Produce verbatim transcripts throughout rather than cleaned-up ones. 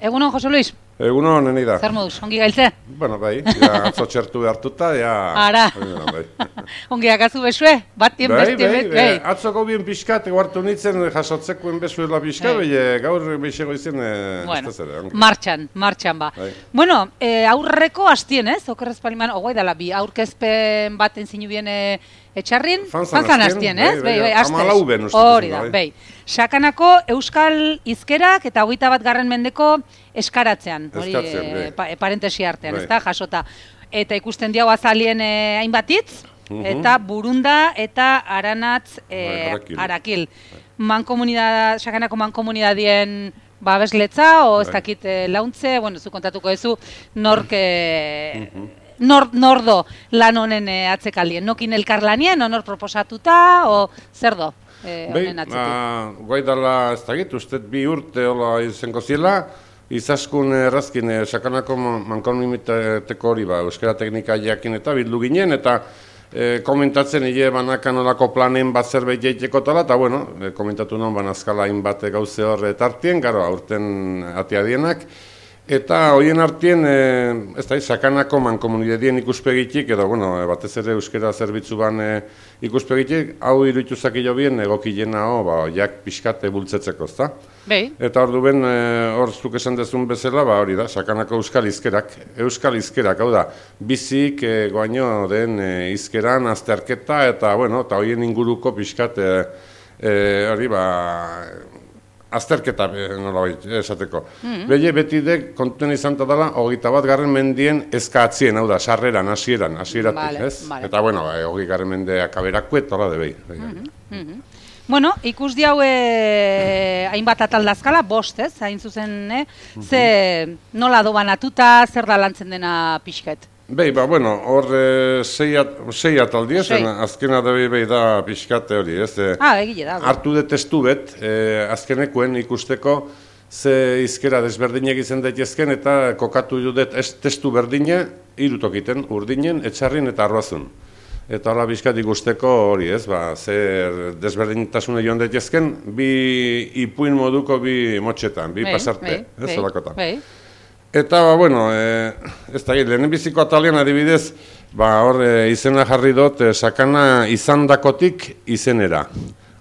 Egunon, Jose Luis? Egunon, neni da. Zer moduz, ongi gailtze? Bueno, bai, ja atzo txertu behartuta, ja... Ara, bai. ongi akazu besue, batien bai, bestien bai, bet, bai. bai. Atzoko bien pixkat, eguartu nintzen jasotzekoen bezuela pixka, bai, gaur beixego izan, bueno, ez da zera. martxan, martxan ba. Bai. Bueno, eh, aurreko hastien, ez? Okerrez paliman, ogoi dela bi, aurkezpen baten zinu bien eh, etxarrin, fanzan hastien, ez? Bai, bai, amalau ben uste. Hori da, bai. Sakanako Euskal Hizkerak eta hogeita bat garren mendeko eskaratzean, hori e, pa, parentesi artean, ez da, jasota. Eta ikusten diau azalien e, hainbatitz, uh -huh. eta burunda eta aranatz e, Arakil. arakil. Mankomunidad, Sakanako mankomunidadien babesletza, o ez dakit e, launtze, bueno, zu kontatuko ezu, nork... E, uh -huh. Nor, nordo lan honen e, atzekaldien, nokin elkarlanien, o nor proposatuta, o zer do? Eh, Bai, guai dala ez dakit, uste bi urte hola izango ziela, izaskun errazkin eh, Sakanako mankomunitateko hori ba, euskara teknika jakin eta bildu ginen, eta eh, komentatzen hile banakan olako planen bat zerbait jaiteko tala, eta bueno, eh, komentatu non banazkala hainbat gauze horre tartien, garo, aurten atiadienak, eta hoien artien, e, ez da, Sakanako mankomunidadien ikuspegitik, edo, bueno, batez ere euskera zerbitzu ban e, ikuspegitik, hau iruditu zakilo bien egokilena, ho, ba, jak pixkate bultzetzeko, ez da? Bai. Eta hor duen, e, hor zuk esan dezun bezala, ba, hori da, Sakanako euskal hizkerak, euskal hizkerak, hau da, bizik e, goaino den e, hizkeran azterketa, eta, bueno, eta hoien inguruko pixkat, e, e, hori, ba, azterketa nolabait esateko. Mm-hmm. Behe beti dek kontuen izan dela hogeita bat garren mendien eskatzien, hau da, sarreran, hasieran, hasieratik, vale, ez? Vale. Eta, bueno, hogei garren mendeak aberakue, tola de behi. Mm-hmm. Mm-hmm. Bueno, ikus diau eh, hainbat ataldazkala, bost, ez? Hain zuzen, eh? Mm-hmm. Ze nola dobanatuta, zer da lantzen dena pixket? Behi, ba, bueno, hor e, sei, at, sei ataldi ez, azkena da behi da pixkate hori, ez? E, ah, egile da. Hartu de testu bet, e, azkenekoen ikusteko, ze hizkera desberdinek izan daitezken, eta kokatu judet ez testu berdine, irutokiten, urdinen, etxarrin eta arroazun. Eta hola bizkat ikusteko hori, ez, ba, zer desberdintasune joan daitezken, bi ipuin moduko bi motxetan, bi hey, pasarte, hey, ez, hey, olakotan. Hey. Eta, ba, bueno, e, ez da, lehenen biziko atalian adibidez, ba, hor e, izena jarri dut, e, sakana izandakotik izenera.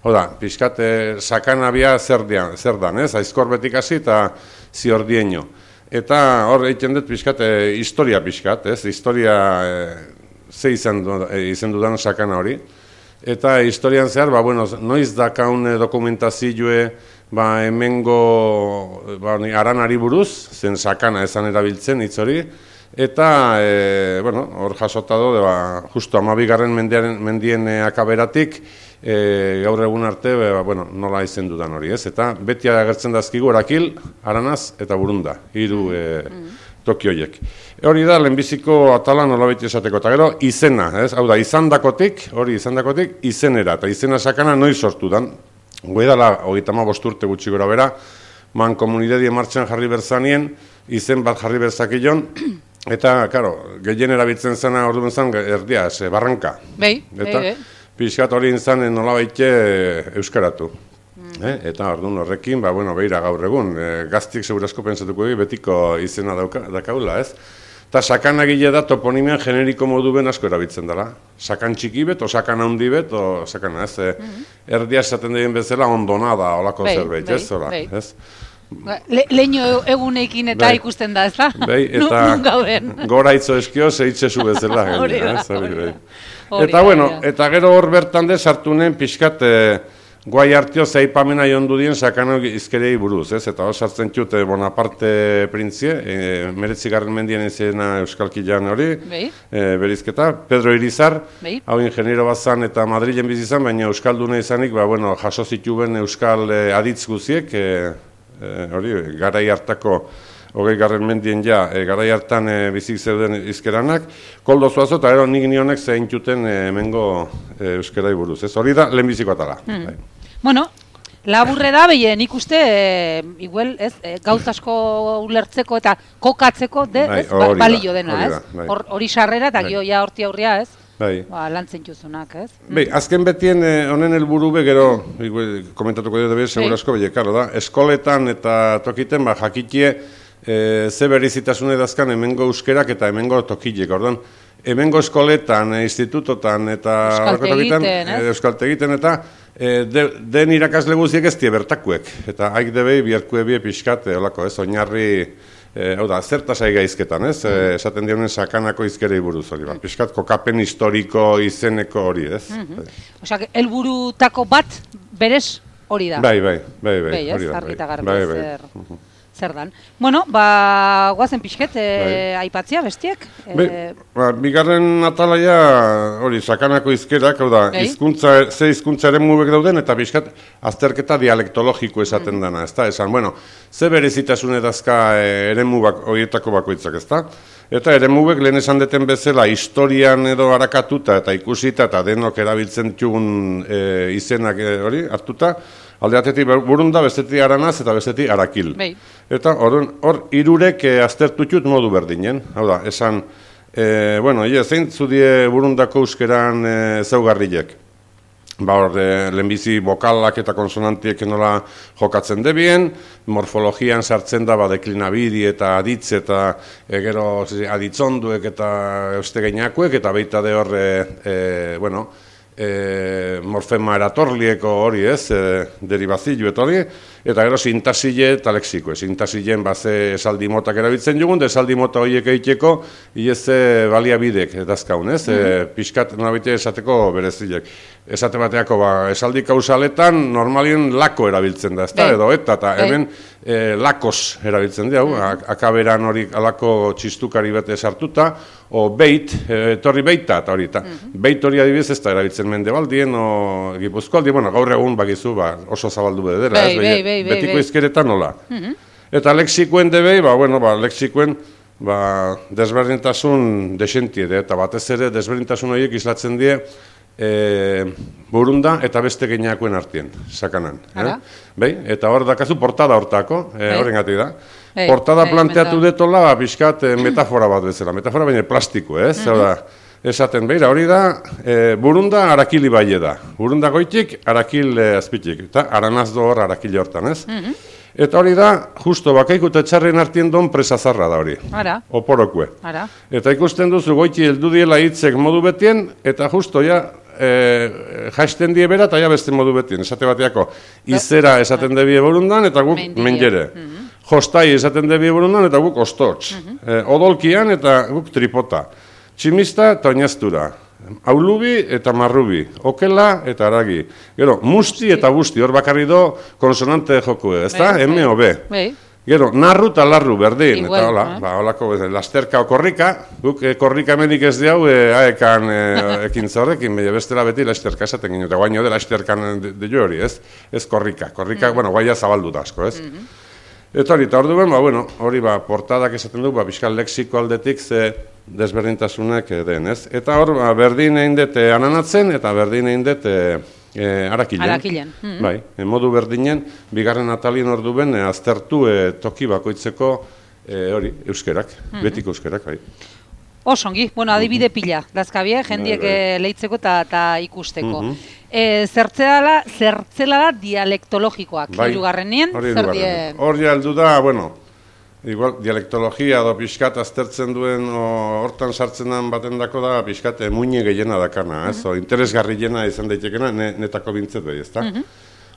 Oda, pixkat, e, sakana bia zer, dian, zer dan, ez, aizkor betik hasi eta ziordieño. Eta hor egiten dut pixkat, e, historia pixkat, ez, historia e, ze izan, e, izan dudan sakana hori. Eta historian zehar, ba, bueno, noiz dakaun dokumentazioe, ba, hemengo ba, aranari buruz, zen sakana esan erabiltzen hitz hori, eta, e, bueno, hor jasota do, ba, justo amabigarren mendien, mendien e, akaberatik, e, gaur egun arte, ba, bueno, nola izen dudan hori, ez? Eta beti agertzen dazkigu Arakil, Aranaz eta Burunda, hiru e, toki horiek. Hori da, lehenbiziko atala nola beti esateko, eta gero, izena, ez? Hau da, izandakotik, hori izandakotik, izenera, eta izena sakana noiz sortu dan. Goedala, hogeita hamabost urte gutxi gora bera, mankomunidadien martxan jarri berzanien, izen bat jarri berzakillon, eta, karo, gehien erabiltzen zena orduan zen, erdia, ez, barranka. Bai, eta, bai, pixkat hori intzan nola baite euskaratu. Mm. Eh? Eta orduan horrekin, ba, bueno, behira gaur egun, e, gaztik segurasko pentsatuko egi betiko izena dauka, dakaula, ez? Eta sakan agile da toponimian generiko modu ben asko erabiltzen dela. Sakan txiki bet, o sakan handi bet, o sakana, ez? E, mm-hmm. Erdia esaten dien bezala ondonada, olako bei, zerbait, ez? Ora, ez? Le, leño egunekin eta bei, ikusten da, ez da? Bai, eta gora itzo eskio, zeitzezu bezala. Hori da, hori da. Eta, bueno, eta gero hor bertan de sartu nen pixkat, e, guai hartio zeipamena jondu dien sakano izkerei buruz, ez? Eta hor sartzen txute Bonaparte printzie, e, meretzigarren mendien izena euskalkilean hori, e, berizketa, Pedro Irizar, Bei. Hau ingeniero bat zan eta Madrilen bizizan, baina euskalduna izanik, ba, bueno, jaso zituen euskal e, aditz guziek, e, e, hori, garai hartako hogei garren mendien ja, e, garai hartan e, bizik zeuden izkeranak, koldo zuazo, eta ero nik nionek zein txuten e, emengo e, euskerai buruz, ez? Hori da, lehenbiziko atala. Hmm. Bai. Bueno, laburre da, behi, nik uste, e, igual, ez, e, gauz asko ulertzeko eta kokatzeko, de, bai, ez, ba, balio dena, ez? Hori bai. Sarrera, eta bai. Gio ja horti aurria, ez? Bai. Ba, lantzen juzunak, ez? Bai, azken betien honen eh, helburu be gero, igual, komentatuko dut, segurazko, bai, karo da, eskoletan eta tokiten, ba, jakitie, e, ze berezitasune dazkan hemengo euskerak eta hemengo tokilek, orduan, hemengo eskoletan, institutotan eta euskaltegiten eta e, de, den irakasle guziek ez die bertakuek, eta haik debei biharkue bie pixkat, olako ez, oinarri, e, hau da, zertasai gaizketan, ez, e, esaten dionen sakanako izkerei buruz hori, ba, pixkat kokapen historiko izeneko hori, ez. Mm-hmm. Osa, helburutako bat berez hori da. Bai, bai, bai, bai, bai, hori da. Bai, ez, bai, bai, zer, zer dan. Bueno, ba, guazen pixket, e, bai. Aipatzia bestiek. Bai, e... ba, bigarren atalaia, hori, sakanako izkerak, hau da, bai. Izkuntza, ze izkuntzaren mubek dauden, eta pixkat, azterketa dialektologiko esaten mm. dana, ez da, esan, bueno, ze berezitasune dazka e, ere mubak, horietako bakoitzak, ez da? Eta ere mubek lehen esan deten bezala, historian edo harakatuta eta ikusita eta denok erabiltzen txugun e, izenak e, hori hartuta, alde batetik Burunda, bestetik Aranaz eta bestetik Arakil. Bei. Eta hor hirurek e, aztertutut modu berdinen, hau da, esan, e, bueno, ie, zein zudie Burundako euskeran e, zaugarriek. Ba hor, e, lehenbizi bokalak eta konsonantiek nola jokatzen debien, morfologian sartzen da ba, deklinabidi eta aditz eta e, gero aditzonduek eta eustegeinakuek eta baita de hor, e, e, bueno, e, morfema eratorlieko hori ez, e, deribazio eta hori, eta gero sintasile eta lexiko. Sintasileen baze esaldi motak erabiltzen jugun, de esaldi mota horiek egiteko, ieze baliabidek dazkaun, ez? Mm -hmm. e, Piskat nolabite esateko berezilek. Esate bateako, ba, esaldi kausaletan normalien lako erabiltzen da, ez da, edo eta, eta hemen e, lakos erabiltzen da, mm. akaberan hori alako txistukari bete sartuta, o beit, etorri beita, eta hori, eta mm. beit hori adibidez ez da erabiltzen Mendebaldien, o Gipuzkoaldien, bueno, gaur egun bakizu, ba, oso zabaldu bedera, ez, be, be, be, betiko izkeretan nola. Mm -hmm. Eta lexikoen debei, ba, bueno, ba, lexikoen, ba, desberdintasun desentie, eta batez ere desberdintasun horiek islatzen die, E, Burunda eta beste geinakoen artien, sakanan. Eh? Bai? Eta hor dakazu portada hortako, e, horren gati da. Ei, portada ei, planteatu detola, pixkat e, metafora bat bezala, metafora baina plastiko, ez? Mm -hmm. da, esaten behira, hori da, e, Burunda Arakili baile da. Burunda goitik, Arakil e, azpitik. Eta Aranazdo hor Arakili hortan, ez? Mm -hmm. Eta hori da, justo bakaiko eta txarren artien don presazarra da hori. Ara. Oporokue. Ara. Eta ikusten duzu goiti heldu diela hitzek modu betien, eta justo ja, E, jaisten die bera eta ja beste modu betien, esate bateako izera esaten debie Burundan eta guk mendere. Mm -hmm. Jostai esaten debie Burundan eta guk ostotz. Mm -hmm. e, odolkian eta guk tripota. Tximista eta oinaztura. Aulubi eta marrubi. Okela eta aragi. Gero, musti eta busti, hor bakarri do konsonante joku, ez da? M o B. Gero, narru eta larru berdin, igual, eta hola, eh? ba, holako, lasterka o korrika, guk e, korrika emenik ez diau, e, aekan e, ekintza horrekin, bestela beti lasterka esaten ginen, eta guaino de lasterkan de, de jo hori, ez? Ez korrika, korrika, mm. bueno, guaia zabaldu da asko, ez? Mm -hmm. Eta hori, eta hor duen, ba, bueno, hori, ba, portadak esaten du, ba, biskal lexiko aldetik ze desberdintasunak den, ez? Eta hor, ba, berdin egin dute ananatzen, eta berdin egin dute E, Arakilen, Arakilen. Mm -hmm. Bai, e, modu berdinen, bigarren atalien ordu ben, e, aztertu e, toki bakoitzeko e, hori, euskerak, mm -hmm. betiko euskerak, bai. Osongi, bueno, adibide pila, dazkabie, jendiek bai, bai. leitzeko eta ikusteko. Mm -hmm. e, zertzela, zertzela da dialektologikoak, bai, irugarrenien, zer die... Hor ja heldu da, bueno, igual, dialektologia edo pixkat aztertzen duen, hortan sartzen den baten dako da, pixkat muine gehiena dakana, ez? Mm -hmm. Interesgarriena izan daitekena, ne, netako bintzet behi, ez da? Mm -hmm.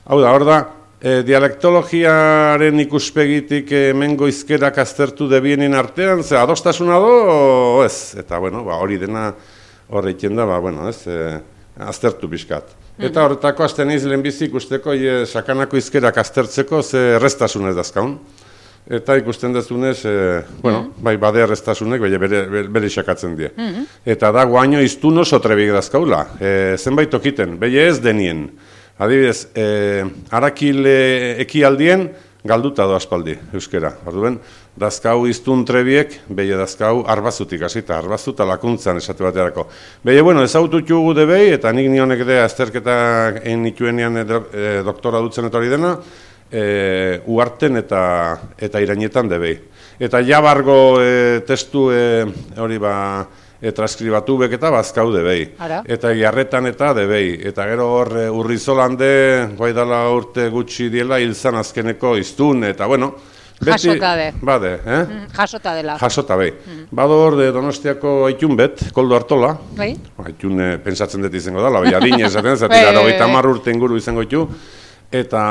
Hau da, hor da, e, dialektologiaren ikuspegitik hemengo izkerak aztertu debienin artean, ze adostasuna do, ez? Eta, bueno, ba, hori dena horreiten da, ba, bueno, ez? E, aztertu pixkat. Mm -hmm. Eta horretako azten iz lehenbizi ikusteko, e, sakanako izkerak aztertzeko, ze errestasunez dazkaun. Eta ikusten dezunez, e, bueno, mm -hmm. bai, bade errestasunek, bere, bere, bere isakatzen die. Mm -hmm. Eta da, guaino iztun oso trebik dazkaula. E, zenbait okiten, behi ez denien. Adibidez, e, Arakil e, ekialdien, galduta do aspaldi, euskera. Orduen, dazkau iztun trebiek, behi dazkau arbazutik, hasita, arbazuta lakuntzan esate baterako. Behi, bueno, ezaututu gu debei, eta nik nionek de azterketa egin nituenean e, doktora dutzen eta hori dena, E, uarten eta eta irainetan debei. Eta jabargo e, testu e, hori ba e, transkribatu bek eta bazkau debei. Ara. Eta jarretan eta debei. Eta gero hor e, urrizolande, guai dala urte gutxi diela, hilzan azkeneko iztun, eta bueno, Jasota de. Bade, eh? Mm, jasota dela. Jasota, bai. Mm. Bado hor de Donostiako Aitun bet, Koldo Artola. Bai. Aitun eh, pentsatzen dut izango dela, bai, adine esaten, zati gara hogeita hamar urte inguru izango ditu, eta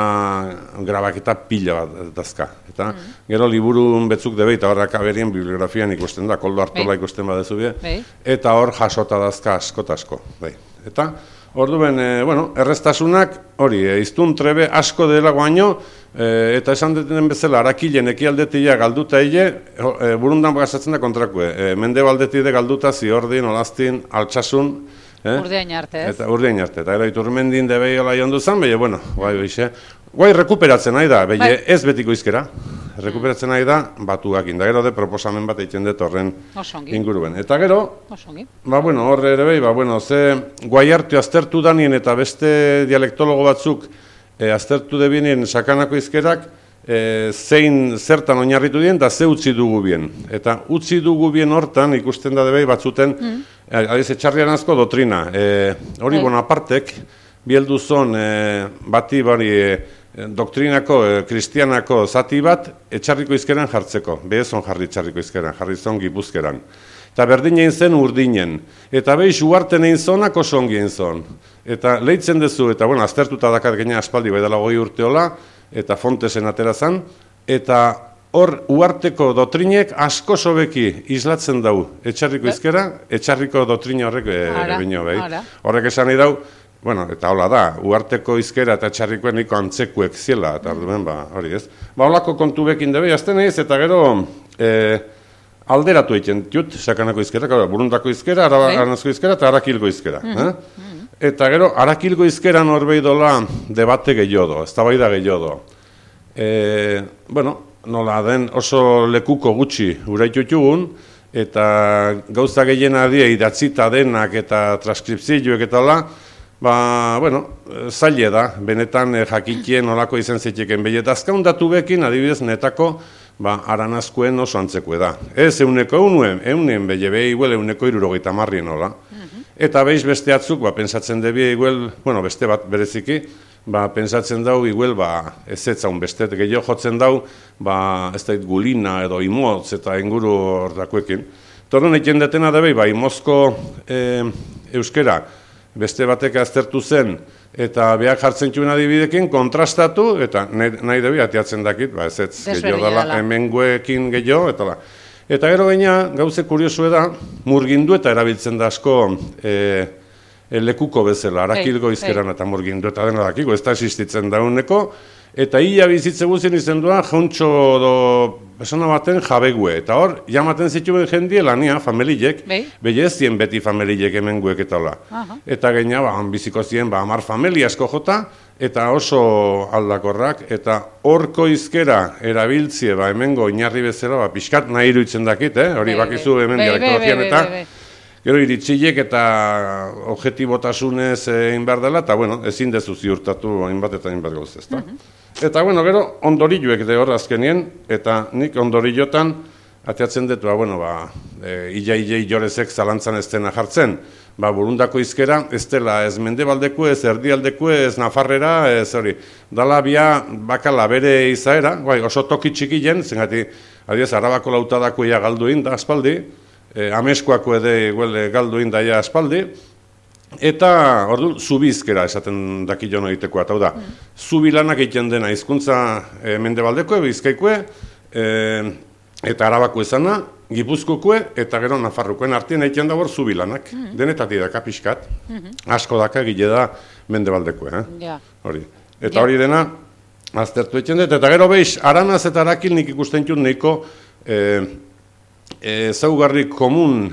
grabaketa pila bat dazka. Eta mm. gero liburun betzuk debe, eta horrak aberien bibliografian ikusten da, Koldo Artola bai. Ikusten badezu bie, bai. Eta hor jasota dazka askotasko. Bai. Eta orduen, e, bueno, erreztasunak, hori, e, iztun trebe asko dela guaino, e, eta esan deten bezala, arakilen ekialdetia galduta hile, e, burundan gazatzen da kontrakue. E, mende baldetide galduta ziordin, olaztin, altsasun, eh? Urdeain arte, ez? Eta urdeain arte, eta ero iturmendin debei hola jondu zan, behi, bueno, guai, behixe. Guai, rekuperatzen nahi da, behi, ez betiko izkera. Rekuperatzen nahi da, batuak inda, gero de proposamen bat egiten dut horren inguruen. Eta gero, ba, bueno, horre ere behi, ba, bueno, ze guai hartu aztertu danien eta beste dialektologo batzuk e, aztertu debinien sakanako izkerak, e, zein zertan oinarritu dien, da ze utzi dugu bien. Eta utzi dugu bien hortan, ikusten da debei batzuten, mm. e, adiz, etxarrian asko dotrina. E, hori, hey. Bonapartek, bielduzon e, bati bari, e, doktrinako, e, kristianako zati bat, etxarriko izkeran jartzeko. Behezon jarri etxarriko izkeran, jarri zon gipuzkeran. Eta berdin egin zen urdinen. Eta behiz uarten egin zonak oso ongi egin zon. Eta lehitzen dezu, eta bueno, aztertuta dakat gaina aspaldi bai dela goi urteola, eta fontesen atera zan, eta hor uarteko dotrinek asko sobeki islatzen dau etxarriko izkera, etxarriko dotrina horrek ere bino behi. Horrek esan nahi dau, bueno, eta hola da, uarteko izkera eta txarrikoen niko antzekuek ziela, eta orduen, ba, hori ez. Ba, holako kontu bekin dabe, azten ez, eta gero e, alderatu egiten dut, sakanako izkera, burundako izkera, aranazko izkera, eta arakilgo izkera. Mm -hmm. eh? Eta gero, arakilgo izkera norbei dola debate gehiago, ez da bai da gehiago. E, bueno, nola den oso lekuko gutxi uraitutugun, eta gauza gehiena die idatzita denak eta transkripzioek eta hola, ba, bueno, zaile da, benetan eh, jakitien olako izan ziteken behi, eta azkaun datu bekin, adibidez, netako, ba, aranazkoen oso antzekue da. Ez, euneko eunuen, eunen behi, behi, iguel, euneko irurogeita marrien hola. Eta behiz beste atzuk, ba, pensatzen debi, iguel, bueno, beste bat bereziki, ba, pensatzen dau, iguel, ba, ez etzaun beste, gehiago jotzen dau, ba, ez da gulina edo imotz eta inguru hortakoekin. Torren egin detena debi, ba, imozko e, euskera, beste batek aztertu zen, eta behar jartzen txuen adibidekin, kontrastatu, eta nahi debi atiatzen dakit, ba, ez ez gehiago dela, hemengoekin gehiago, eta la. Eta gero gaina, gauze kuriosu da, murgindu eta erabiltzen da asko e, e, lekuko bezala, arakilgo izkeran hey, hey. Eta murgindu eta dena dakiko, ez da existitzen dauneko, eta ia bizitze guzien izendua, jauntxo do, besona baten jabegue, eta hor, jamaten zituen jendie lania, familiek, behi ez zien beti familiek hemen guek eta hola. Uh-huh. Eta gaina, ba, biziko zien, ba, amar familia asko jota, eta oso aldakorrak, eta horko izkera erabiltzie, ba, hemengo inarri bezala, ba, pixkat nahi iruditzen dakit, eh? Hori bakizu hemen dialektologian eta, gero iritsilek eta objetibotasunez egin behar dela, eta, bueno, ezin dezu ziurtatu hainbat eta hainbat gauz, ezta? Uh-huh. Eta, bueno, gero, ondorilluek de hor azkenien, eta nik ondorillotan, ateatzen dut, ba, bueno, ba, e, ia-ia jorezek zalantzan ez dena jartzen, ba, burundako izkera, ez dela ez mendebaldeku, ez erdialdeku, ez nafarrera, ez hori, dala bia bakala bere izaera, bai, oso toki txikien, zengati, adiez, arabako lautadako ia galduin da aspaldi, e, ameskoako ede iguel, galduin da ia aspaldi, eta, ordu, zubizkera esaten dakillo egiteko, eta hau da, mm. zubilanak egiten dena, hizkuntza e, mendebaldeko, bizkaikue, e, eta arabako izana, Gipuzkokue eta gero Nafarrokoen artien egiten da hor zubilanak, mm-hmm. denetatik daka pixkat, mm-hmm. asko daka gile da mendebaldekue, eh? Yeah. Hori. Eta yeah. hori dena, aztertu egiten dut, eta gero behiz, aranaz eta arakil nik ikusten txun nahiko e, e, zaugarri komun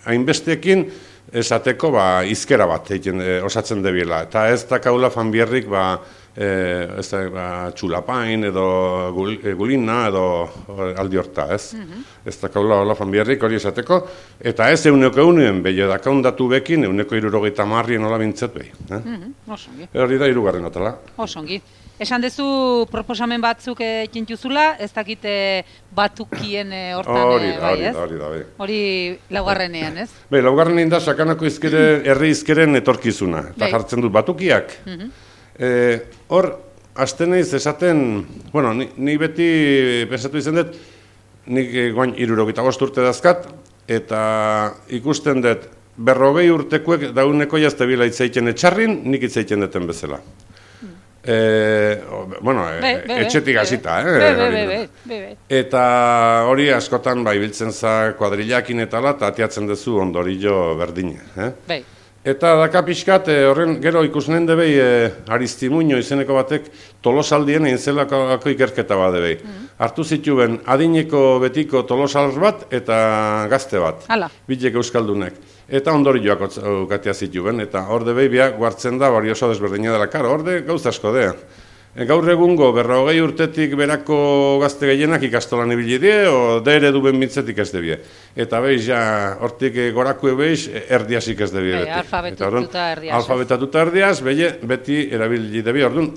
hainbestekin esateko ba, izkera bat egiten, e, osatzen debiela, eta ez da kaula fanbierrik ba, E, ez da, ba, txulapain edo gul, e, gulina edo aldi horta, ez? Mm-hmm. Ez da kaula hola fanbierrik hori esateko, eta ez euneko eunuen behi edakaundatu bekin, euneko irurogeita marrien hola bintzet behi. Eh? Mm-hmm. Osongi. Hori da irugarren atala. Osongi. Esan dezu proposamen batzuk egin juzula, ez dakite batukien hortan, hori da, bai, hori ez? da, hori da, bai. Hori laugarrenean, ez? Bai, laugarrenean da sakanako izkere, herri izkeren etorkizuna, eta jartzen dut batukiak. Mm-hmm. Hor, hasten naiz esaten, bueno, ni, ni beti pensatu izan dut, nik guain hirurogeita bost urte dazkat, eta ikusten dut, berrogei urtekuek dauneko jazte bila itzaiten etxarrin, nik itzaiten duten bezala. E, bueno, be, be, be, etxetik hasita, eh? Be, be, be, be, be. Eta hori askotan bai biltzen za kuadrillakin eta ala, eta atiatzen duzu ondorio berdine. Eh? Bai. Eta daka pixkat, horren gero ikusnen debei e, Aristimuño izeneko batek tolosaldien egin zelako ikerketa bat debei. Mm. Hartu zituen adineko betiko tolosal bat eta gazte bat. Hala. Bilek euskaldunek. Eta ondorioak ukatea zituen, eta hor debei biak guartzen da, bari oso desberdina dela, karo, hor de gauz asko de. E, gaur egungo, berrogei urtetik berako gazte gehienak ikastolan ibili die, o de ere duben bintzetik ez debie. Eta behiz, ja, hortik gorakue behiz, erdiasik ez debie beti. Alfabetatuta erdiaz. Alfabetatuta erdiaz, behi, beti erabili debie, orduan,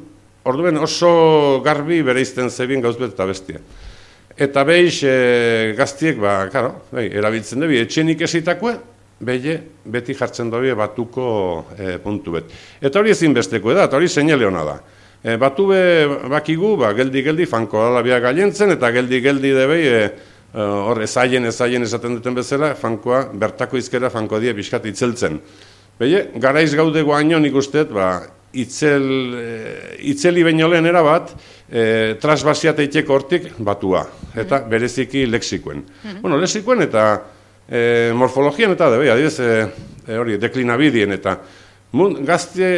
orduen oso garbi bereizten zebien gauz bet eta bestia. Eta behiz, e, gaztiek, ba, karo, behi, erabiltzen debie, etxenik esitakue, Beye, beti jartzen dobi batuko e, puntu bet. Eta hori ezin besteko da, eta hori seinale hona da. E, batu be bakigu, ba, geldi-geldi fanko alabia gaientzen, eta geldi-geldi debei, e, hor ezaien, ezaien esaten duten bezala, fankoa, bertako izkera fanko die pixkat itzeltzen. Beye, garaiz gaude guaino nik usteet, ba, itzel, e, itzeli baino lehen erabat, e, trasbasiat eiteko hortik batua, eta bereziki lexikoen. Mm-hmm. Bueno, lexikoen eta E, morfologian eta debe, adibidez, e, e, hori, deklinabidien eta mun, gazte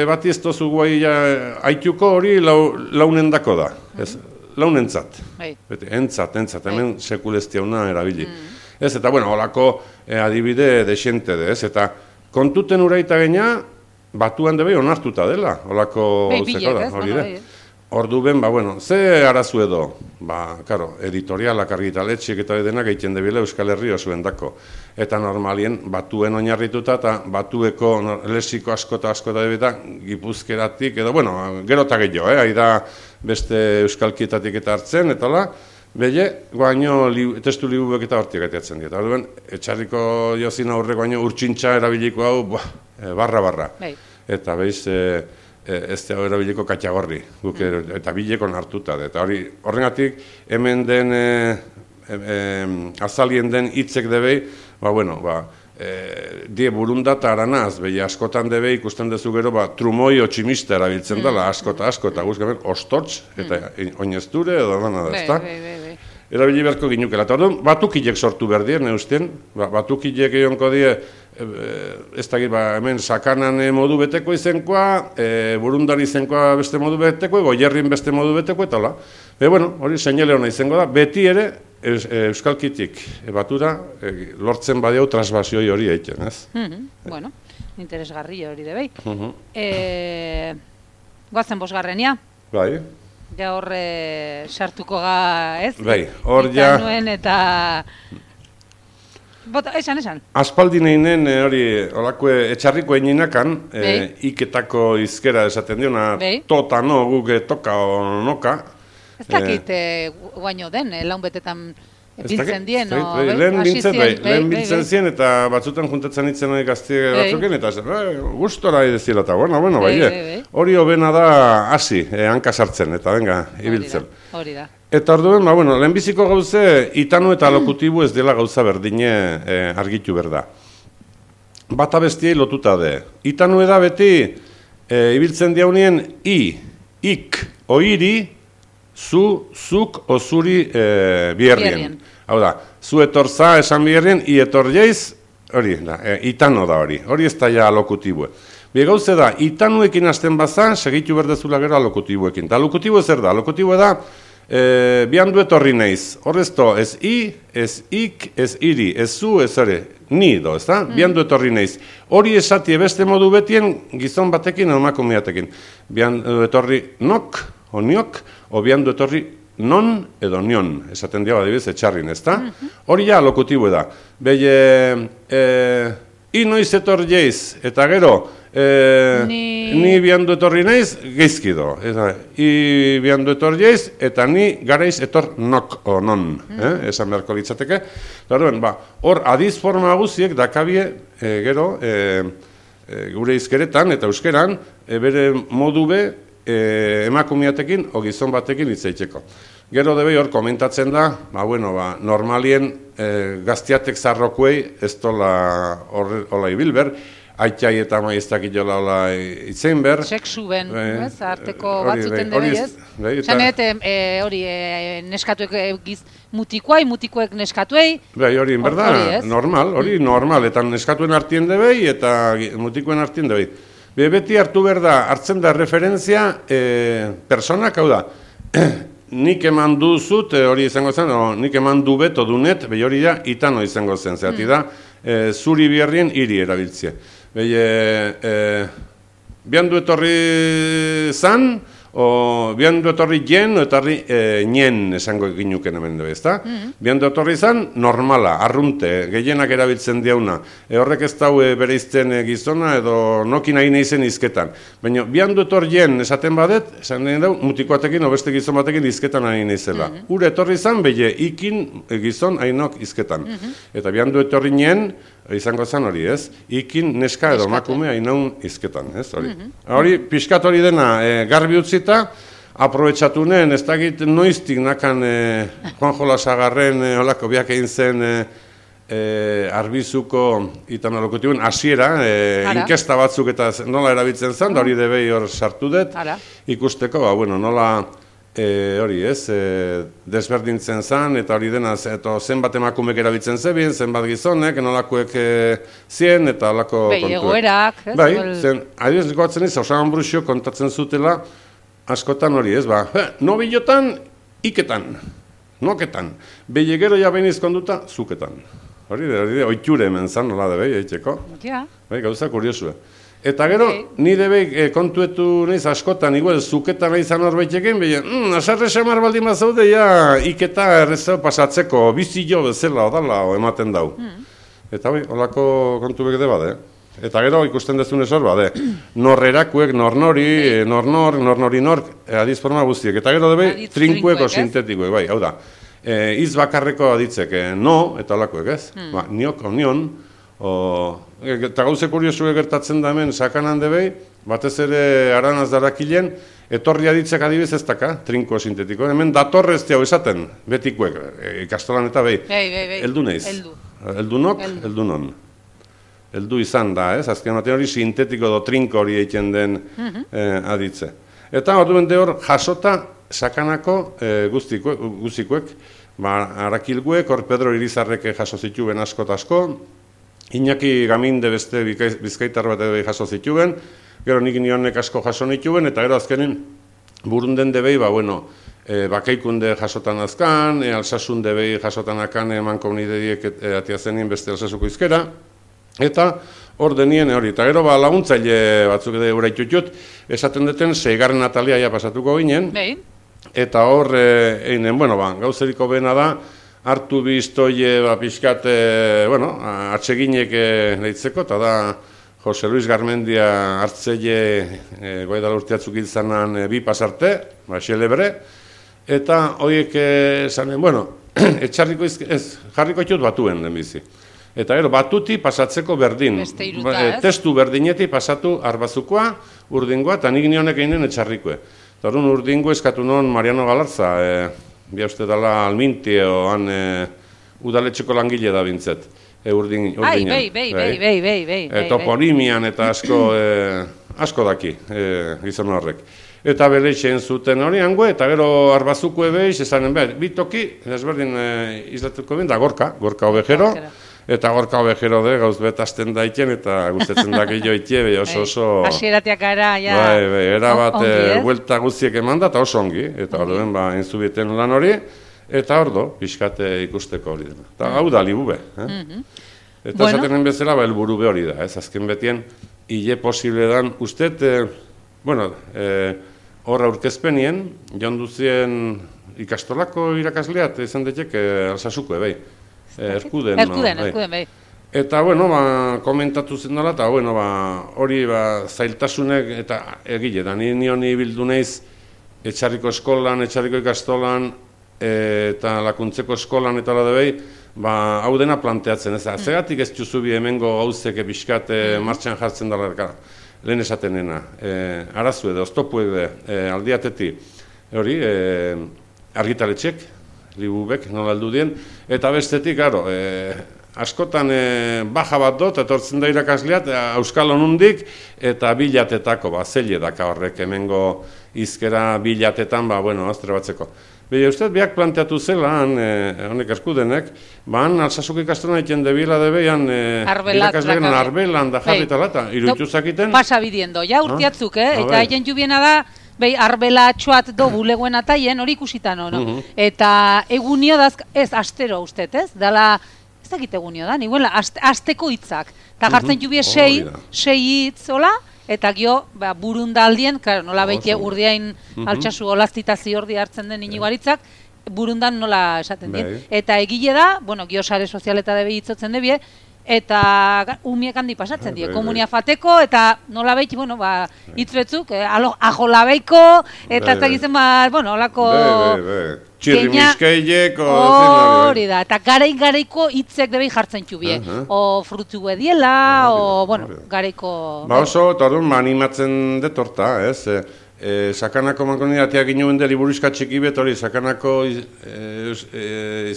bati ez tozu guai ja, aituko hori lau, launendako da, ez, launentzat, beti, entzat, entzat, hemen sekulestiauna erabili. Mm. Ez, eta, bueno, holako e, adibide desiente de, ez, eta kontuten uraita geina, batuan debe onartuta dela, holako zeko da, hori de. Ordu ben, ba, bueno, ze arazu edo, ba, karo, editorialak argitaletxik eta denak egiten debile Euskal Herri osuen dako. Eta normalien, batuen oinarrituta eta batueko lesiko asko eta asko eta debita gipuzkeratik, edo, bueno, gero eta gehiago, eh, haida beste euskalkietatik eta hartzen, eta la, belle, guaino li, testu libuek eta hortik etiatzen dira. Ordu ben, etxarriko jozin aurre guaino urtsintxa erabiliko hau, bah, barra-barra. Eta behiz, e, ez da erabiliko katxagorri, guk eta bileko hartuta. Eta hori, horrengatik, hemen den, e, e, azalien den hitzek debei, ba, bueno, ba, e, die burunda eta aranaz, behi askotan debei ikusten dezu gero, ba, trumoi otximista erabiltzen dela, askota, askota, guzkamen, ostotx, eta oinezture, edo dana da, ez da? Erabili beharko ginukela. Eta orduan, batukilek sortu behar dien, neuzten, ba, batukilek egonko die, ez dakit, ba, hemen sakanan modu beteko izenkoa, e, burundan izenkoa beste modu beteko, goierrin beste modu beteko, eta hola. Be, bueno, hori seinale hona izango da, beti ere, eus, e, euskalkitik e, batura, e, lortzen badiau transbasioi hori egiten, ez? Mm-hmm. Bueno, interesgarri hori debei. Mm-hmm. e, Goazen bosgarrenia? Bai. Ja horre sartuko ga, ez? Bai, hor ja... Nuen eta... Bota, esan, esan. Aspaldi nahinen, hori, holako etxarriko eginakan, e, iketako izkera esaten diona, tota no, guke toka o noka. Ez dakit e, guaino den, eh, laun betetan biltzen dien, no? Lehen biltzen, bai, lehen biltzen zien, eta batzutan juntatzen itzen hori gazti batzuken, eta gustora edezila eta, bueno, bueno, bai, hori hobena da hasi, hanka sartzen, eta venga, ibiltzen. Hori da. Eta orduen, ba, bueno, lehenbiziko gauze, itanu eta lokutibu ez dela gauza berdine eh, argitu berda. Bata bestiei lotuta de. Itanu eda beti, eh, ibiltzen diaunien, i, ik, oiri, zu, zuk, ozuri eh, bierrien. Hau da, zu etorza esan bierrien, i etor jeiz, hori, da, eh, itano da hori. Hori ez da ja lokutibue. Bi gauze da, itanuekin hasten baza, segitu berdezula gero alokutibuekin. Ta alokutibu ez da, alokutibu da, E, biandu etorri neiz, horrezto, ez i, ez ik, ez iri, ez zu, ez hori, ni do, ez da? Mm. Biandu etorri neiz. Hori esatie beste modu betien gizon batekin edo makumiatekin. Biandu etorri nok, o niok, o biandu etorri non edo nion, esaten diaba adibidez etxarrin, ez da? Hori ja lokutibu da. Behi, e, i noiz etor jeiz, eta gero, E, ni... ni biandu etorri naiz, geizkido. I biandu etor jeiz, eta ni garaiz etor nok o non, mm. eh? Esan beharko litzateke. Hor, ba, adiz forma guziek dakabie, e, gero, e, e, gure izkeretan eta euskeran, e, bere modu be, e, emakumeatekin o gizon batekin hitz egiteko. Gero debe hor komentatzen da, ba, bueno, ba, normalien e, gaztiatek zarrokuei ez dola hola ibilber, aitai eta maiztak itola hola itzein ber. Seksu ben, e, ez, arteko batzuten debe, ez? Zanet, hori, neskatuek giz mutikoai, mutikoek neskatuei. Bai, hori, in berda, normal, hori normal, eta neskatuen artien debei, eta mutikoen artien debei. Be, beti hartu behar da, hartzen da referentzia e, personak, hau da, nik eman duzut, e, hori izango zen, o, nik eman du beto dunet, behi hori da, itano izango zen, zehati da, e, zuri biherrien hiri erabiltzia. Behi, e, e, bihandu etorri zan, o bihandu etorri jen, o etorri e, nien esango ginuken hemen dugu, ezta? Mm-hmm. Bihandu etorri zan, normala, arrunte, gehienak erabiltzen diauna. E, horrek ez dau e, bere izten e, gizona, edo nokin nahi naizen izketan. Baina, bihandu etor jen esaten badet, esan nahi dau, mutikoatekin, o beste gizon batekin izketan nahi naizela. Mm-hmm. Ure etorri zan, behi ikin e, gizon hainok izketan. Mm-hmm. Eta bihandu etorri nien, izango zen hori, ez? Ikin neska edo makume hainaun izketan, ez? Hori, mm-hmm. hori pixkat hori dena e, garbi utzita, aprobetxatunen, ez dakit noiztik nakan e, Juan Jolasagarren e, holako biak egin zen e, e, arbizuko itanolokutibun hasiera, e, inkesta batzuk eta nola erabiltzen zen, da hori debei hor sartu dut, ikusteko, ba, bueno, nola E, hori ez, e, desberdintzen zen, eta hori dena, eta zenbat emakumek erabiltzen zebien, zenbat gizonek, nolakoek e, zien, eta holako kontuek. Bai, egoerak. Bai, zen, adibidez goatzen ez, Osagan Brusio kontatzen zutela, askotan hori ez, ba, no bilotan, iketan, noketan, behi gero ja behin izkonduta, zuketan. Hori de, hori de, oiture hemen zan, nola de behi, eitxeko. Ja. Bai, gauza kuriosue. Eta gero, ni debe e, kontuetu nahiz askotan, igual, zuketa nahi zan horbeitekin, behin, mm, asarre xamar baldin mazaude, ja, iketa errezeo pasatzeko, bizi jo bezala, odala, o ematen dau. Mm. Eta bai, holako kontu bek de bade. Eta gero, ikusten dezunez hor bade, norrerakuek, nornori, nornor, nornori nork, e, adiz forma guztiek. Eta gero debe, trinkueko sintetikoek, bai, hau da. E, iz bakarreko aditzek, e, no, eta holakoek, ez? Mm. Ba, niok, onion, o, eta gauze kuriosue gertatzen da hemen sakanan debei, batez ere aranaz darakilen, etorri aditzek adibez ez daka, trinko sintetiko. Hemen datorrez hau esaten, betikuek, ikastolan eta behi. Bei, bei, bei. Eldu neiz. Eldu. Eldunok, eldu. eldunon. Eldu izan da, ez? Azken batean hori sintetiko do trinko hori egiten den mm-hmm. eh, aditze. Eta hori bende hor jasota sakanako eh, guztikuek, guztikuek, ba, arakilguek, hor Pedro Irizarrek jaso zituen asko eta asko, Iñaki Gaminde beste bizkaitar bat edo jaso zituen, gero nik nionek asko jaso nituen, eta gero azkenen burunden debei, ba, bueno, e, bakeikunde jasotan azkan, e, alsasun debei jasotan akan eman komunidediek e, atia zenien beste alsasuko izkera, eta hor denien hori, eta gero ba, laguntzaile batzuk edo uraitutut, esaten duten seigarren Natalia ja pasatuko ginen, Behin. Eta hor, e, einen, bueno, ba, gauzeriko bena da, hartu biztoie, ba, pixkat, e, bueno, atseginek e, lehitzeko, eta da Jose Luis Garmendia hartzeie e, goedala urteatzuk izanan e, bi pasarte, ba, xelebre, eta horiek esanen, bueno, etxarriko izke, ez, jarriko itut batuen den bizi. Eta gero, batuti pasatzeko berdin, iruta, ba, e, testu berdineti pasatu arbazukoa, urdingoa, eta nik nionek eginen etxarrikoe. Eta hori urdingo eskatu non Mariano Galarza, e, bia uste dala alminti, oan e, udaletxeko langile da bintzet, e, urdin, urdinen. Ai, bai, bai, bai, bai, bai, e, toponimian eta asko, e, asko daki, e, gizon horrek. Eta beleitzen zuten hori hango, eta gero arbazuko ebeiz, esanen behar, bitoki, ezberdin e, izlatuko bin, da gorka, gorka obejero, eta gorka obejero de, gauz betazten daiten, eta guztetzen daki joitie, be oso oso... Hasierateak gara, ja... Bai, bai, erabat, e, buelta guztiek eman da, eta oso ongi, eta hor den, ba, entzubieten lan hori, eta hor do, pixkate ikusteko hori dena. Eta hau da, libube, eh? Eta esatenen bezala, ba, elburu be hori da, ez, azken betien, hile posible dan, ustet, e, bueno, hor e, aurkezpenien, joan duzien ikastolako irakasleat, izan daiteke, alsasuko, bai. Erkuden, erkuden, erkuden, bai. Eta, bueno, ba, komentatu zen dola, eta, bueno, ba, hori, ba, zailtasunek, eta egile, da, ni nioni bildu naiz, etxarriko eskolan, etxarriko ikastolan, e, eta lakuntzeko eskolan, eta hola debei, ba, hau dena planteatzen, ez da, mm. Zegatik ez juzubi hemengo gauzek pixkat mm. martxan jartzen dela, lehen esatenena, e, arazu edo, oztopu edo, e, aldiateti, hori, e, argitaletxek, libubek, nola aldu dien, eta bestetik, garo, e, askotan e, baja bat dut, etortzen da irakasleat, Euskal Honundik, eta bilatetako, ba, zeile daka horrek, hemengo izkera bilatetan, ba, bueno, aztre batzeko. Bide, uste, biak planteatu zela, han, e, honek eskudenek, ba, han, alsasuk ikastona egiten debila debeian, e, irakaslean arbelan da jarritala, eta irutxuzakiten. Pasa bidiendo, ja, urtiatzuk, eh? Eta haien jubiena da, behi, arbela txuat do bulegoen ataien, hori ikusitan, no? Eta egunio daz, ez, astero uste, ez? Dala, ez dakit egunio da, niguela, asteko hitzak. Eta jartzen jubie sei, sei hitz, hola? Eta gio, ba, burundaldien, claro, nola beite urdiain altxasu olaztita ziordi hartzen den iniguaritzak, burundan nola esaten dien. Eta egile da, bueno, gio sare sozialeta debe hitzotzen debie, eta umiek handi pasatzen die, komunia fateko, eta nola beite, bueno, ba, hitz betzuk, eh, ajolabeiko, eta ez dakizen, ba, bueno, holako... Txirri miskeiek, hori da, eta garai-garaiko hitzek debei jartzen txubie. O frutu ediela, o, bueno, garaiko... Ba oso, eta orduan, animatzen detorta, ez? Sakanako mankomunitatea ginuen de liburuizka txiki bet, hori, Sakanako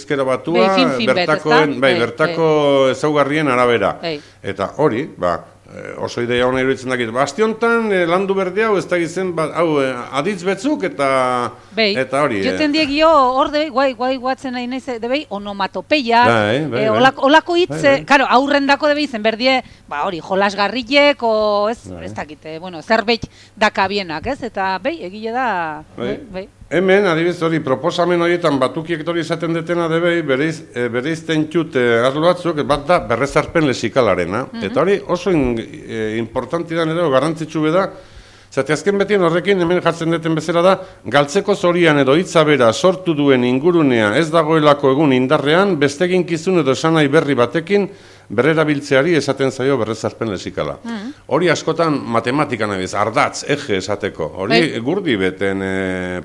izkera batua, bertako ezaugarrien arabera. Eta hori, ba, oso idea hona iruditzen dakit. Bastiontan landu berde hau ez da gizen, hau aditz betzuk eta hori. Joten diegio hor debei, guai, guai guatzen nahi nahi debei, onomatopeia, olako hitz, karo, aurrendako debei zen, berdie, ba hori, jolasgarrilek, o ez dakit, bueno, zerbait dakabienak, ez? Eta behi, egile da, behi. Hemen, adibidez hori, proposamen horietan batukiek hori izaten detena debei, bereizten txute arlo batzuk, bat da berrezarpen lesikalarena. Eta hori oso importanti da edo garrantzitsu beda, zate azken betien horrekin hemen jartzen deten bezala da, galtzeko zorian edo hitza bera sortu duen ingurunea ez dagoelako egun indarrean, bestekin kizun edo esanai berri batekin, berrerabiltzeari esaten zaio berrezarpen lesikala. Hori askotan matematikan abiz, ardatz, eje esateko. Hori gurdi beten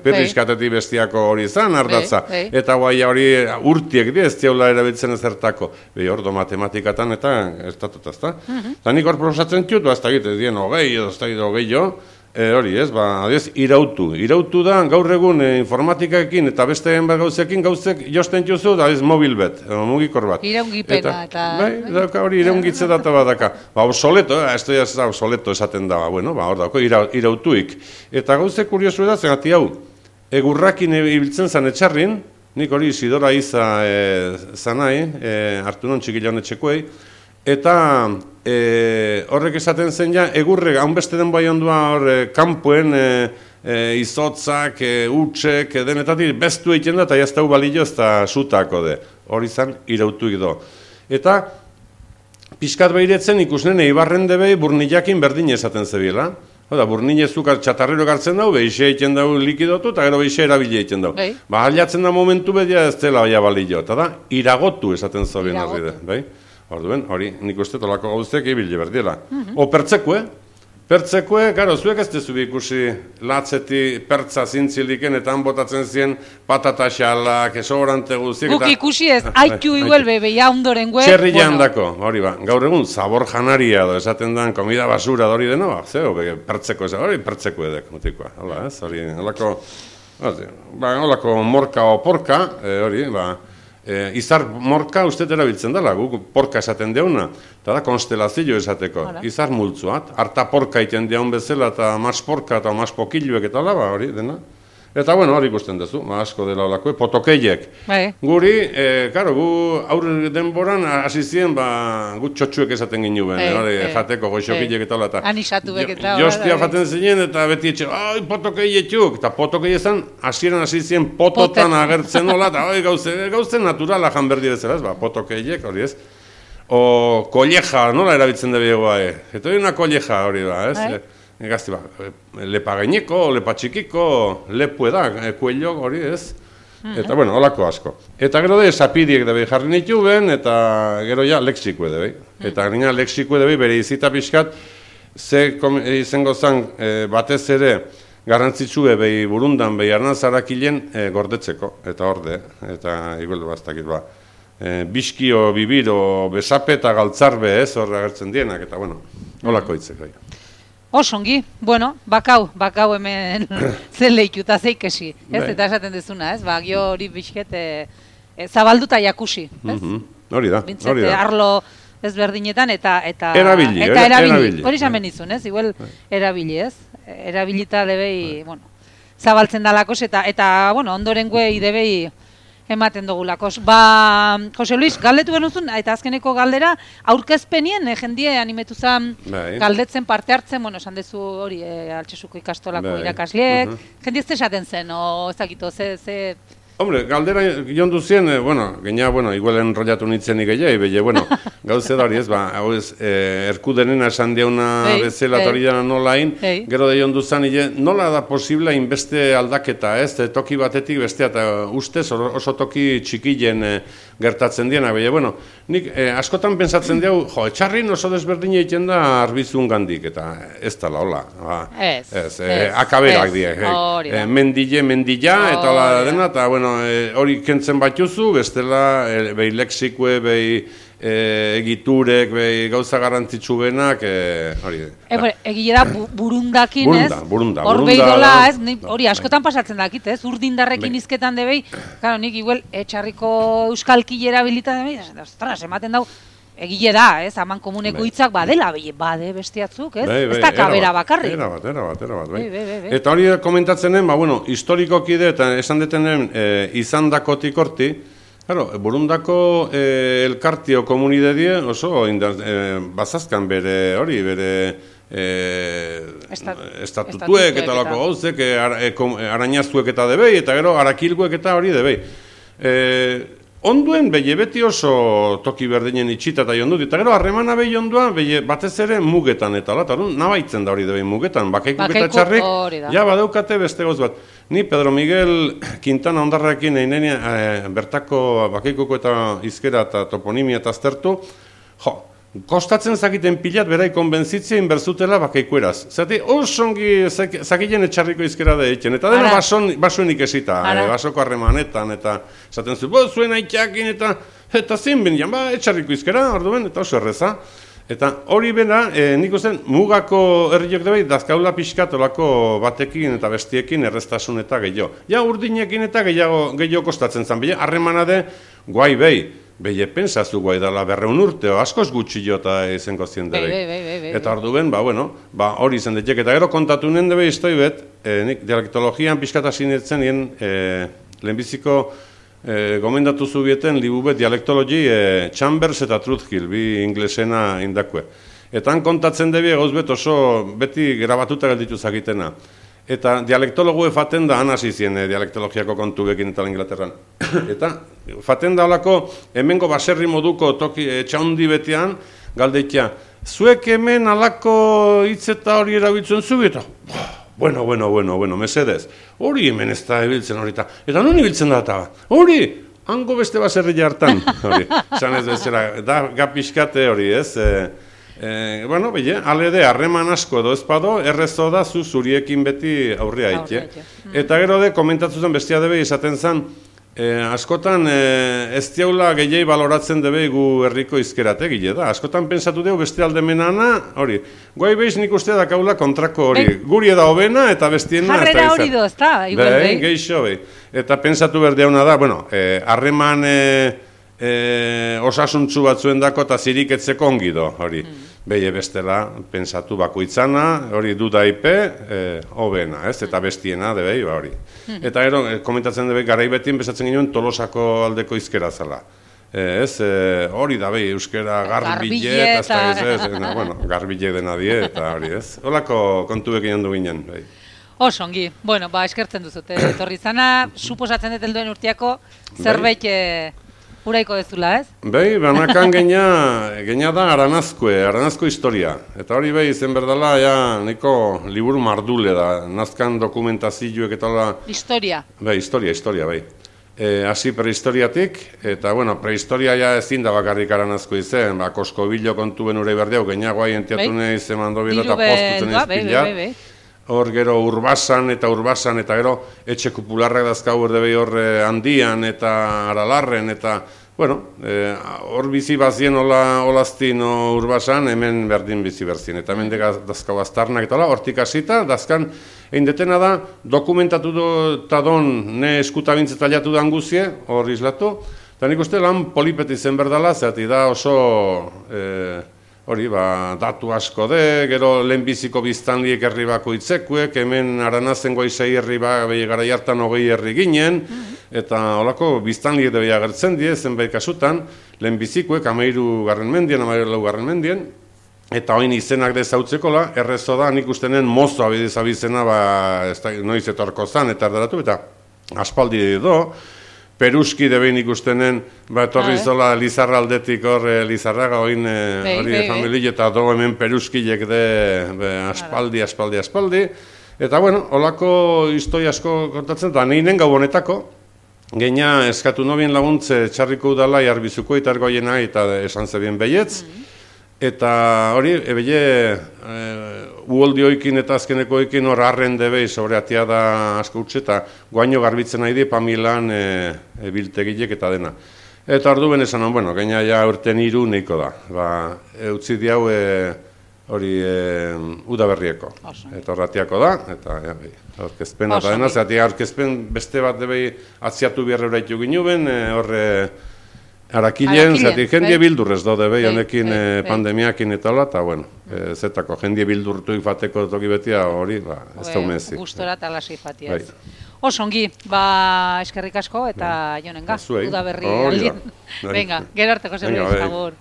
perriskatetik bestiako hori izan ardatza. Eta guai hori urtiek di ez diaula erabiltzen ezertako. Behi ordo matematikatan eta ez datuta, ez da? Eta nik hor proposatzen txut, ez da egite, dien hogei edo ez da egite hogei jo, hori ez, ba, adiez, irautu. Irautu da, gaur egun informatikaekin eta beste bat gauzekin gauzek josten juzu, da ez mobil bet, mugikor bat. Iraungipena eta... Bai, dauka hori iraungitze data bat daka. Ba, obsoleto, ez da obsoleto esaten da, bueno, ba, hor dauko, irautuik. Eta gauze kuriosu da, zenati hau, egurrakin ibiltzen zan etxarrin, nik hori Isidora Iza zanai, hartu non txikila honetxekoei, eta horrek esaten zen ja, egurre, haunbeste den bai ondua hor, kanpoen izotzak, utxek, denetatik, bestu egiten da, eta jaztau balio ez da sutako de. Hori zan, irautuik do. Eta, pixkat behiretzen ikusnen eibarren debei burnillakin berdin esaten zebiela. Oda, burnine zukar txatarrero gartzen dau, behixe egiten dau likidotu, eta gero behixe erabile egiten dau. Ba, aliatzen da momentu bedia ez dela baia balio. Eta da, iragotu esaten zobien horri de, bai? Orduen, hori, nik uste tolako gauzteak ibile berdiela. O pertzekue, pertzekue, garo, zuek ez dezu ikusi latzeti pertza zintziliken eta han botatzen zien patata xalak, esobrante guztiek. Guk ikusi ez, haitu iguel bebe, ja ondoren gue. Txerri jandako, hori ba, gaur egun zabor janaria do, esaten den, komida basura hori deno, ba, zeo, pertzeko, hori pertzeko edek, mutikoa, hola, ez, hori, holako, holako morka o porka, hori, ba, izar morka uste erabiltzen dela, guk porka esaten deuna, eta da konstelazio esateko, izar multzuat, harta porka iten deun bezala, eta mas porka eta mas pokilluek eta laba hori, dena. Eta, bueno, hori ikusten duzu, asko dela olako, potokeiek. Guri, karo, gu aurre denboran hasi ziren, gu txotxuek esaten ginuen, jateko, goxokilek eta olata. Anisatu beketa. Jostia jaten zinen, eta beti etxe, ai, potokeietxuk, eta potokei ezan, hasieran hasi ziren pototan agertzen nola, eta oi, gauzen naturala janberdi bezala, ez, ba, potokeiek, hori ez. O, kolleja, nola erabiltzen dugu egoa, eta hori una kolleja hori da, ez. Gazti ba, lepa gaineko, lepa txikiko, lepu eda, kuello hori ez. Eta, bueno, holako asko. Eta gero de, sapidiek debe jarri nitu ben, eta gero ja, lexikue debe. Eta gina lexikue debe, bere izita pixkat, ze izango zan batez ere, garrantzitsue behi burundan, behi arnazarakilien gordetzeko, eta orde, eta igueldu bastakit ba. Biskio, bibiro, besape eta galtzarbe ez, horre agertzen dienak, eta bueno, holako hitzek bai. Osongi, bueno, bakau, bakau hemen zen lehituta zeikesi, ez? Bai. Eta esaten dezuna, ez? Ba, gio hori bizket e, e, zabalduta jakusi, ez? Mhm. Hori da, Bintzete, hori da. arlo ezberdinetan eta eta Erabili, eta era- erabili. erabili. Hori esan benizun, ez? Igual erabili, ez? Erabilita debei, bueno, zabaltzen dalakos eta eta bueno, ondoren guei debei ematen dugulakos. Ba, Jose Luis, galdetu genuzun, eta azkeneko galdera, aurkezpenien, eh, jendie animetu zan Bai. galdetzen parte hartzen, bueno, esan dezu hori, eh, Altxasuko ikastolako Bai. irakasleek, Mhm. jendie ez esaten zen, o ezakito, ze, ze... Hombre, galdera jondu zien, eh, bueno, gaina, bueno, igual enrollatu nintzen gehiago, belle, bueno, gauze da hori ez, ba, hau ez, eh, erkudenena esan diauna Ei, bezala ei. eta hori da nolain, Ei. gero da jondu zan, ile, nola da posible inbeste aldaketa, ez, eh, toki batetik bestea, eta ustez or- oso toki txikilen eh, gertatzen diena, belle, bueno, nik eh, askotan pentsatzen diau, jo, etxarrin oso desberdina egiten da arbizun gandik, eta ez da hola, ba, Ez, ez, eh, ez, akaberak ez, die, eh, hori da. eh, mendile, mendila, eta Hori hola da. dena, eta, bueno, e, hori kentzen batuzu, bestela, e, behi lexikue, behi e, egiturek, behi gauza garrantzitsu benak, e, hori. E, bere, egile da bu, burundakin, Burunda, ez? burunda, Hor burunda behidola, da- ez? Ni, da, hori askotan pasatzen dakit, ez? Urdindarrekin Bai. izketan debei, claro, nik igual etxarriko euskalki erabilita debei, ostras, ematen dau, egile da, ez? Aman komuneko Bai. hitzak badela, beye, bade bestiatzuk, ez? Bai, bai, Ez da kabera erabat, bakarrik. Erabat, erabat, erabat, bai. Bai, bai, bai, bai. Eta hori komentatzenen, ba, bueno, historikoki de, eta esan detenen, e, izan dakotik horti, claro, burundako e, elkartio komunidadie oso indar, e, bazazkan bere, hori, bere e, Estat- estatutuek estatutuek eta lako eta- gauzek, e, ara, e, kom- arañazuek eta debei, eta gero arakilguek eta hori debei. E, onduen behi beti oso toki berdinen itxita eta jondut, eta gero harremana behi ondua behi batez ere mugetan eta ala, eta orduan nabaitzen da hori debei mugetan, bakaikuk eta Bakaiku, txarrik, hori da. ja badaukate beste gauz bat. Ni Pedro Miguel Quintana ondarrakin einenia e, bertako bakaikuko eta izkera eta toponimia eta aztertu, jo, kostatzen zakiten pilat berai konbentzitzea inberzutela bakaikueraz. Zati, osongi zakilen etxarriko izkera da egiten. Eta dena Ara. bason, basuen ikesita, Ara. e, basoko harremanetan, eta esaten zu, bo, zuen aitxakin, eta eta zin benian, ba, etxarriko izkera, orduen, eta oso erreza. Eta hori bera, e, nik usten, mugako herriok da bai, dazkaula pixkatolako batekin eta bestiekin erreztasun eta gehiago. Ja, urdinekin eta gehiago, gehiago kostatzen zan, bile, harremana de, guai behi, behi pensazu guai dela berreun urteo, askoz gutxi jota izenko zien Bai, debei. bai, bai, bai, bai. Eta ordu ben, ba, bueno, ba, hori izan detek, eta gero kontatu nien debe iztoi bet, e, nik dialektologian pixkata sinetzen nien, e, lehenbiziko e, gomendatu zubieten libu bet dialektologi e, Chambers eta Truthhill, bi inglesena indakue. Eta han kontatzen debi egoz bet oso beti grabatuta gelditu zakitena. Eta dialektologu faten da han hasi zien e, dialektologiako kontuekin eta Inglaterran. Eta faten da holako hemengo baserri moduko toki etxaundi betean galdeitia, zuek hemen alako hitz eta hori erabiltzen zu eta bueno, bueno, bueno, bueno, mesedez. Hori hemen ez da ibiltzen horita. Eta non ibiltzen da eta? Hori! Hango beste baserri hartan. Hori. Esan ez bezala, da gapiskate hori, ez? E, e, bueno, bile, alede, harreman asko edo ezpado, errezo da zu zuriekin beti aurria Aurrea haite. haite. Eta gero de, komentatu zen bestia debe izaten zen, E, askotan e, ez diaula gehiai baloratzen debe gu herriko izkerate gile da. Askotan pensatu dugu beste aldemenana, hori. Guai behiz nik uste dakaula kontrako hori. Ben, Guri eda hobena eta bestiena ez da Jarrera izan. hori do, ez da, igual Bai, behi. geixo behi. Eta pensatu berdeuna da, bueno, eh, harreman e, e, osasuntzu batzuen dako eta ziriketzeko ongi do, hori. Mm. Behi bestela, pensatu bakoitzana, hori dudaipe, e, hobena, ez? Eta bestiena, debei, ba hori. Mm. Eta gero, e, komentatzen debei, garaibetien bezatzen ginen Tolosako aldeko izkera zala. E, ez, e, hori da behi, euskera garbile, eta ez da ez, ez, no, bueno, garbile dena die, eta hori, ez? Holako kontuekin handu ginen, behi. Oso ongi. Bueno, ba, eskertzen duzute. Etorri zana, suposatzen dut helduen urtiako zerbait e, uraiko dezula, ez? Bai, banakan genia, genia da aranazkoe, aranazko historia. Eta hori bai, izen berdala, ja, niko liburu mardule da, nazkan dokumentazioek eta hola... Historia. Bai, historia, historia, bai. E, hasi prehistoriatik, eta, bueno, prehistoria ja ezin da bakarrik aranazko izen, ba, koskobilo kontuen urei berdiau, genia guai entiatu Bai. nahi zemando bila eta Diru postutzen beldua, bai, izpilat. bai, bai. Hor gero urbasan eta urbasan eta gero etxe kupularrak dazkau erde behi hor handian eta aralarren eta bueno, hor bizi bazien hola olaztin urbasan, hemen berdin bizi berzien. Eta hemen dazkau aztarnak eta hola, hortik hasita, dazkan, egin detena da, dokumentatu eta don, ne eskutabintze taliatu da guzie, hor izlatu, eta nik uste lan polipeti zen berdala, zehati da oso, hori, ba, datu asko de, gero lehenbiziko biztanliek herri bako itzekuek, hemen aranazen goizei herri ba, behi gara jartan hogei herri ginen, eta holako biztanliek de behi agertzen die, zenbait kasutan, lehenbizikoek, amairu garren mendien, amairu lau garren mendien, eta oin izenak dezautzeko la, errezo da, nik ustenen mozo abidiz abizena, ba, ez da, noiz etorko zan, eta erdaratu, eta aspaldi do, Peruski debein ikustenen, ba, etorri zola Lizarra aldetik hor, Lizarraga, oin, hori familie, eta do hemen Peruskilek de, be, aspaldi, aspaldi, aspaldi. Eta, bueno, holako histoi asko kontatzen, eta ninen gau honetako, geina eskatu nobien laguntze txarriko udala, jarbizuko itargoiena, eta esan zebien behietz. Eta hori, ebele, uoldi oikin eta azkeneko oikin hor arren debei sobre atia da asko utxe, eta guaino garbitzen nahi di Pamilan biltegilek eta dena. Eta ordu ben esan, bueno, gaina ja urten iru neiko da. Ba, utzi diau hori udaberrieko. Eta horratiako da, eta aurkezpen eta dena, zeratik aurkezpen beste bat debei atziatu biarra uraitu ginuben, horre Arakilen, zati, jendie bildurrez daude behi, honekin pandemiakin eta hola, eta, bueno, zetako, jendie bildurtu ifateko toki betia hori, ez da umezi. Gustora eta lasi ifatiaz. Osongi, ba, eskerrik asko eta jonenga, udaberri aldien. Venga, gero arteko zerbait, agur.